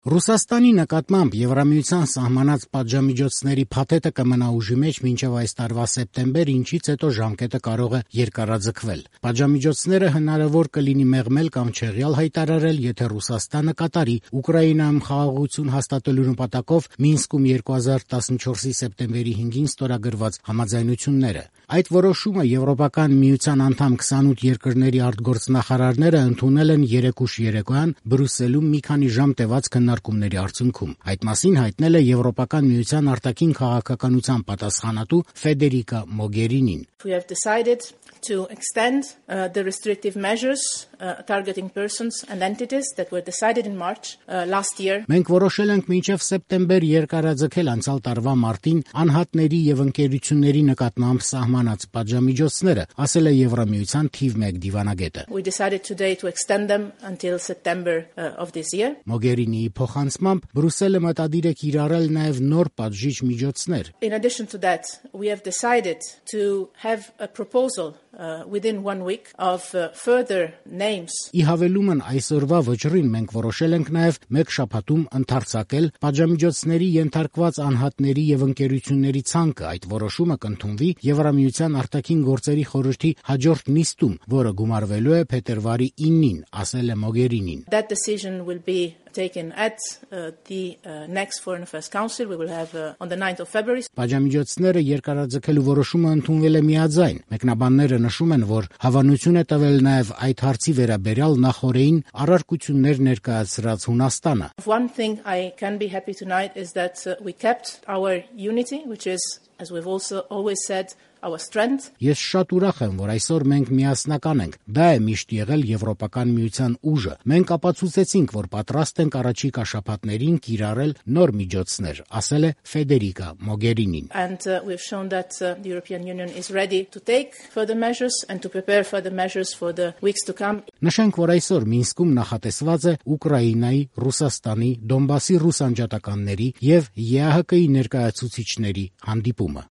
Ռուսաստանի նկատմամբ Եվրամիության սահմանած պատժամիջոցների փաթեթը կմնա ուժի մեջ մինչև այս տարվա սեպտեմբեր, ինչից հետո ժամկետը կարող է երկարաձգվել։ Պատժամիջոցները հնարավոր կլինի մեղմել կամ չեղյալ հայտարարել, եթե Ռուսաստանը կատարի Ուկրաինայում խաղաղություն հաստատելու նպատակով Մինսկում 2014-ի սեպտեմբերի 5-ին ստորագրված համաձայնությունները։ Այդ որոշումը Եվրոպական միության անդամ 28 երկրների արտգործնախարարները ընդունել են երեկուշ երեկոյան Բրյուսելում մի քանի ժամ տևած քննարկումների արդյունքում։ Այդ մասին հայտնել է Եվրոպական միության արտաքին քաղաքականության պատասխանատու Ֆեդերիկա Մոգերինին։ We have decided to extend the restrictive measures targeting persons and entities that were decided in March last year. Մենք որոշել ենք մինչև սեպտեմբեր երկարաձգել անցյալ տարվա մարտին անհատների եւ ընկերությունների նկատմամբ սահմանած պատժամիջոցները, ասել է Եվրամիության թիվ 1 դիվանագետը։ We decided today to extend them until September of this year. Մոգերինիի փոխանցմամբ Բրյուսելը մտադիր է կիրառել նաեւ նոր պատժիչ միջոցներ։ In addition to that, we have decided to have a proposal within 1 week of further names. Ի հավելումն այսօրվա վճռին մենք որոշել ենք նաև մեկ շաբաթում ընդարձակել պատժամիջոցների ենթարկված անհատների եւ ընկերությունների ցանկը։ Այդ որոշումը կընդունվի Եվրամիության արտաքին գործերի խորհրդի հաջորդ նիստում, որը գումարվելու է փետրվարի 9-ին, ասել է Մոգերինին։ That decision will be taken at the next Foreign Affairs Council. We will have on the 9th of February. Պատժամիջոցները երկարաձգելու որոշումը ընդունվել է միաձայն։ Մեկնաբանները նշում են, որ հավանություն է տվել նաև այդ հարցի վերաբերյալ նախորդին առարկություններ ներկայացրած Հունաստանը։ One thing I can be happy tonight is that we kept our unity, which is, as we've also always said, our strength. Ես շատ ուրախ եմ, որ այսօր մենք միասնական ենք։ Դա է միշտ եղել Եվրոպական միության ուժը։ Մենք ապացուցեցինք, որ պատրաստ ենք առաջիկա շաբաթներին կիրառել նոր միջոցներ, ասել է Ֆեդերիկա Մոգերինին։ And we've shown that the European Union is ready to take further measures and to prepare further measures for the weeks to come. Նշենք, որ այսօր Մինսկում նախատեսված է Ուկրաինայի, Ռուսաստանի, Դոնբասի ռուս անջատականների եւ ԵԱՀԿ-ի ներկայացուցիչների հանդիպումը։